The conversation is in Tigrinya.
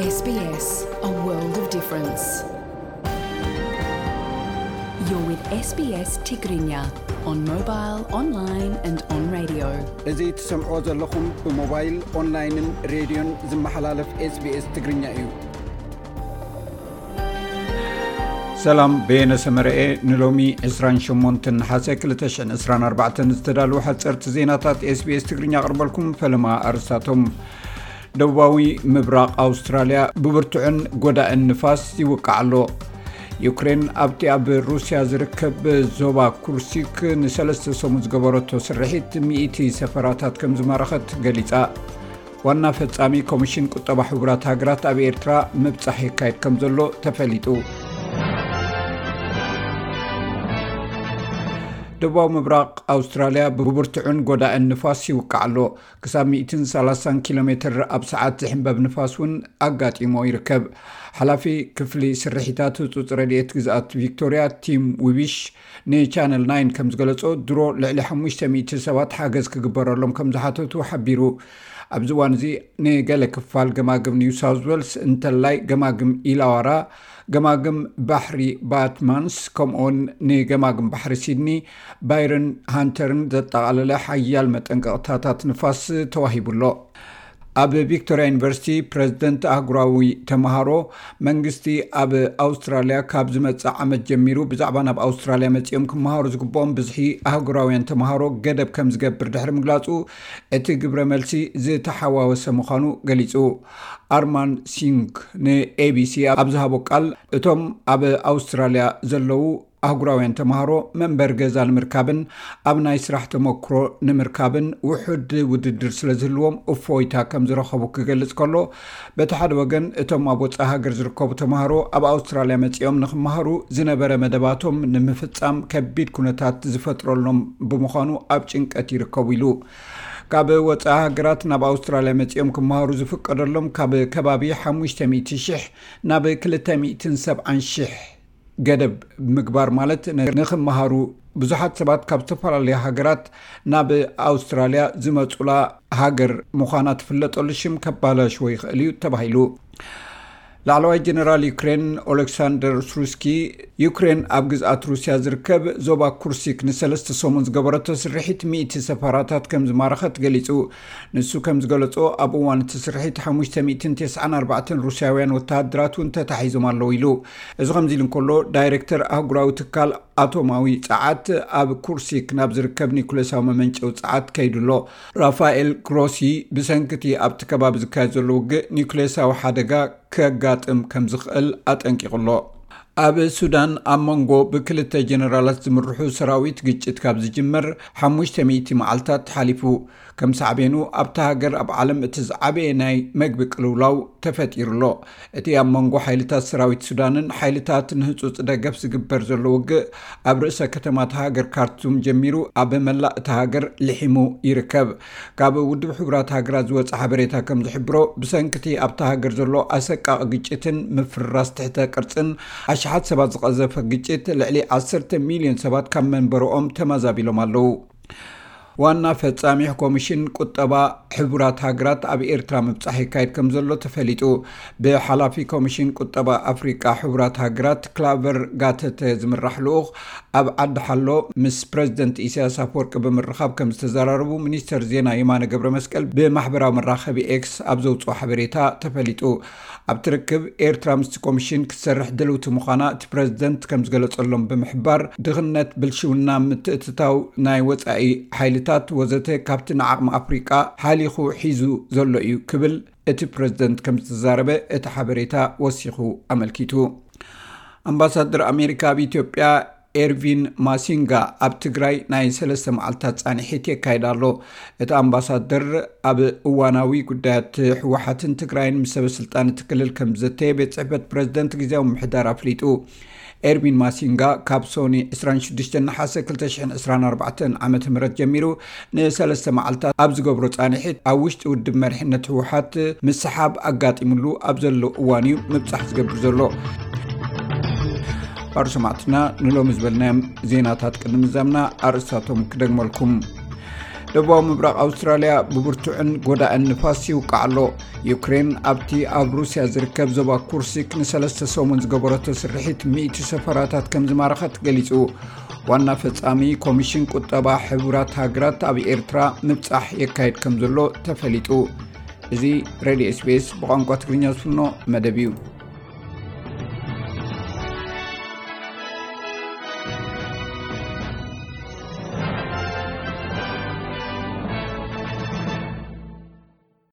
S B S, a world of difference. You're with S B S Tigrinya on mobile, online and on radio. እዚ ትሰምዕዎ ዘለኹም ብሞባይል፣ ኦንላይንን ሬድዮን ዝመሓላለፍ SBS ትግርኛ እዩ። ሰላም፣ በየነ ሰመረኤ። ንሎሚ ዕስራን ሸሞንተን ነሓሰ ክልተ ሽሕን ዕስራን ኣርባዕተን ዝተዳለዉ ሓጸርቲ ዜናታት SBS ትግርኛ ኣቕርበልኩም። ፈለማ ኣርእስታቶም። ደቡባዊ ምብራቕ ኣውስትራልያ ብብርቱዕን ጎዳእን ንፋስ ይውቃዕ ኣሎ። ዩክሬን ኣብቲ ኣብ ሩስያ ዝርከብ ዞባ ኩርሲክ ንሰለስተ ሰሙን ዝገበረቶ ስርሒት ሚእቲ ሰፈራታት ከም ዝማረኸት ገሊጻ። ዋና ፈጻሚ ኮሚሽን ቁጠባ ሕቡራት ሃገራት ኣብ ኤርትራ ምብጻሕ የካይድ ከም ዘሎ ተፈሊጡ። ደቡባዊ ምብራቕ ኣውስትራልያ ብብርቱዕን ጎዳእን ንፋስ ይውቃዕ ኣሎ። ክሳብ ሚእትን ሰላሳን ኪሎ ሜትር ኣብ ሰዓት ዝሕንበብ ንፋስ እውን ኣጋጢሞ ይርከብ። ሓላፊ ክፍሊ ስርሒታት ህጹጽ ረድኤት ግዝኣት ቪክቶርያ ቲም ዊቢሽ ንቻነል ናይን ከም ዝገለጾ፣ ድሮ ልዕሊ ሓሙሽተ ሚእቲ ሰባት ሓገዝ ክግበረሎም ከም ዝሓተቱ ሓቢሩ። ኣብዚ እዋን እዚ ንገለ ክፋል ገማግም ኒው ሳውዝ ዌልስ እንተላይ ገማግም ኢላዋራ፣ ገማግም ባሕሪ ባትማንስ፣ ከምኡውን ንገማግም ባሕሪ ሲድኒ፣ ባይረን ሃንተርን ዘጠቓለለ ሓያል መጠንቀቕታታት ንፋስ ተዋሂቡ ኣሎ። ኣብ ቪክቶርያ ዩኒቨርሲቲ ፕረዚደንት ኣህጉራዊ ተምሃሮ፣ መንግስቲ ኣብ ኣውስትራልያ ካብ ዝመጽእ ዓመት ጀሚሩ ብዛዕባ ናብ ኣውስትራልያ መጺኦም ክመሃሩ ዝግብኦም ብዝሒ ኣህጉራውያን ተምሃሮ ገደብ ከም ዝገብር ድሕሪ ምግላጹ፣ እቲ ግብረ መልሲ ዝተሓዋወሰ ምዃኑ ገሊጹ። ኣርማን ሲንግ ንኤቢሲ ኣብ ዝሃቦ ቃል፣ እቶም ኣብ ኣውስትራልያ ዘለዉ ኣህጉራውያን ተምሃሮ መንበሪ ገዛ ንምርካብን ኣብ ናይ ስራሕ ተመክሮ ንምርካብን ውሑድ ውድድር ስለ ዝህልዎም እፎይታ ከም ዝረኸቡ ክገልጽ ከሎ፣ በቲ ሓደ ወገን እቶም ኣብ ወጻኢ ሃገር ዝርከቡ ተምሃሮ ኣብ ኣውስትራልያ መጺኦም ንክመሃሩ ዝነበረ መደባቶም ንምፍጻም ከቢድ ኩነታት ዝፈጥረሎም ብምዃኑ ኣብ ጭንቀት ይርከቡ ኢሉ። ካብ ወጻኢ ሃገራት ናብ ኣውስትራልያ መጺኦም ክመሃሩ ዝፍቀደሎም ካብ ከባቢ ሓሙሽተ ሚእቲ ሽሕ ናብ ክልተ ሚእትን ሰብዓን ሽሕ ገደብ ምግባር ማለት ን-፣ ንኽመሃሩ ብዙሓት ሰባት ካብ ዝተፈላለዩ ሃገራት ናብ ኣውስትራልያ ዝመጹላ ሃገር ምዃና ትፍለጠሉ ሽም ከባላሽዎ ይኽእል እዩ ተባሂሉ። ላዕለዋይ ጀነራል ዩክሬን ኦሌክሳንደር ስሩስኪ፣ ዩክሬን ኣብ ግዝኣት ሩስያ ዝርከብ ዞባ ኩርሲክ ንሰለስተ ሰሙን ዝገበረቶ ስርሒት ሚእቲ ሰፈራታት ከም ዝማረኸት ገሊጹ። ንሱ ከም ዝገለጾ፣ ኣብ እዋን እቲ ስርሒት ሓሙሽተ ሚእትን ተስዓን ኣርባዕተን ሩስያውያን ወተሃደራት እውን ተታሒዞም ኣለዉ ኢሉ። እዚ ከምዚ ኢሉ እንከሎ፣ ዳይሬክተር ኣህጉራዊ ትካል ኣቶማዊ ጸዓት ኣብ ኩርሲክ ናብ ዝርከብ ኒኩሌሳዊ መመንጨዊ ጸዓት ከይዱ ኣሎ። ራፋኤል ግሮሲ፣ ብሰንኪ እቲ ኣብቲ ከባቢ ዝካየድ ዘሎ ውግእ ኒኩሌሳዊ ሓደጋ ከጋጥም ከም ዝኽእል ኣጠንቂቑ ኣሎ። ኣብ ሱዳን ኣብ መንጎ ብክልተ ጀነራላት ዝምርሑ ሰራዊት ግጭት ካብ ዝጅመር ሓሙሽተ ሚእቲ መዓልታት ሓሊፉ። ከም ሳዕቤኑ ኣብታ ሃገር ኣብ ዓለም እቲ ዝዓበየ ናይ መግቢ ቅልውላው ተፈጢሩ ኣሎ። እቲ ኣብ መንጎ ሓይልታት ሰራዊት ሱዳንን ሓይልታት ንህጹጽ ደገፍ ዝግበር ዘሎ ውግእ ኣብ ርእሰ ከተማ እታ ሃገር ካርቱም ጀሚሩ ኣብ መላእ እታ ሃገር ልሒሙ ይርከብ። ካብ ውድብ ሕቡራት ሃገራት ዝወጸ ሓበሬታ ከም ዝሕብሮ፣ ብሰንኪ እቲ ኣብታ ሃገር ዘሎ ኣሰቃቒ ግጭትን ምፍርራስ ትሕተ ቅርጽን ኣሽሓት ሰባት ዝቐዘፈ ግጭት፣ ልዕሊ ዓሰርተ ሚልዮን ሰባት ካብ መንበርኦም ተመዛቢሎም ኣለዉ። ዋና ፈጻሚ ኮሚሽን ቁጠባ ሕቡራት ሃገራት ኣብ ኤርትራ ምብጻሕ ይካየድ ከም ዘሎ ተፈሊጡ። ብሓላፊ ኮሚሽን ቁጠባ ኣፍሪቃ ሕቡራት ሃገራት ክላቨር ጋተተ ዝምራሕ ልኡኽ ኣብ ዓዲ ሓሎ ምስ ፕረዚደንት ኢሳያስ ኣፈወርቂ ብምርኻብ ከም ዝተዘራረቡ ሚኒስተር ዜና የማነ ገብረ መስቀል ብማሕበራዊ መራኸቢ ኤክስ ኣብ ዘውጽኦ ሓበሬታ ተፈሊጡ። ኣብቲ ርክብ፣ ኤርትራ ምስቲ ኮሚሽን ክትሰርሕ ድልውቲ ምዃና እቲ ፕረዚደንት ከም ዝገለጸሎም ብምሕባር፣ ድኽነት፣ ብልሽውና፣ ምትእትታው ናይ ወጻኢ ሓይልታት ወዘተ ካብቲ ንዓቕሚ ኣፍሪቃ ሓሊኹ ሒዙ ዘሎ እዩ ክብል እቲ ፕረዚደንት ከም ዝተዛረበ እቲ ሓበሬታ ወሲኹ ኣመልኪቱ። ኣምባሳደር ኣሜሪካ ኣብ ኢትዮጵያ ኤርቪን ማሲንጋ ኣብ ትግራይ ናይ ሰለስተ መዓልታት ጻንሒት የካይድ ኣሎ። እቲ ኣምባሳደር ኣብ እዋናዊ ጉዳያት ህወሓትን ትግራይን ምስ ሰበ ስልጣን እቲ ክልል ከም ዝዘተየ ቤት ጽሕፈት ፕረዚደንት ግዜያዊ ምምሕዳር ኣፍሊጡ። ኤርቪን ማሲንጋ ካብ ሶኒ ዕስራን ሽዱሽተን ነሓሰ ክልተ ሽሕን ዕስራን ኣርባዕተን ዓመተ ምህረት ጀሚሩ ንሰለስተ መዓልታት ኣብ ዝገብሮ ጻንሒት፣ ኣብ ውሽጢ ውድብ መሪሕነት ህወሓት ምስሓብ ኣጋጢሙሉ ኣብ ዘሎ እዋን እዩ ምብጻሕ ዝገብር ዘሎ። ባር ሰማዕትና፣ ንሎሚ ዝበልናዮም ዜናታት ቅድሚ ምዛምና ኣርእስታቶም ክደግመልኩም። ደቡባዊ ምብራቕ ኣውስትራልያ ብብርቱዕን ጎዳእን ንፋስ ይውቃዕ ኣሎ። ዩክሬን ኣብቲ ኣብ ሩስያ ዝርከብ ዞባ ኩርሲክ ንሰለስተ ሰሙን ዝገበረቶ ስርሒት ሚእቲ ሰፈራታት ከም ዝማረኸት ገሊጹ። ዋና ፈጻሚ ኮሚሽን ቁጠባ ሕቡራት ሃገራት ኣብ ኤርትራ ምብጻሕ የካየድ ከም ዘሎ ተፈሊጡ። እዚ ሬድዮ ኤስቢኤስ ብቋንቋ ትግርኛ ዝፍኖ መደብ እዩ።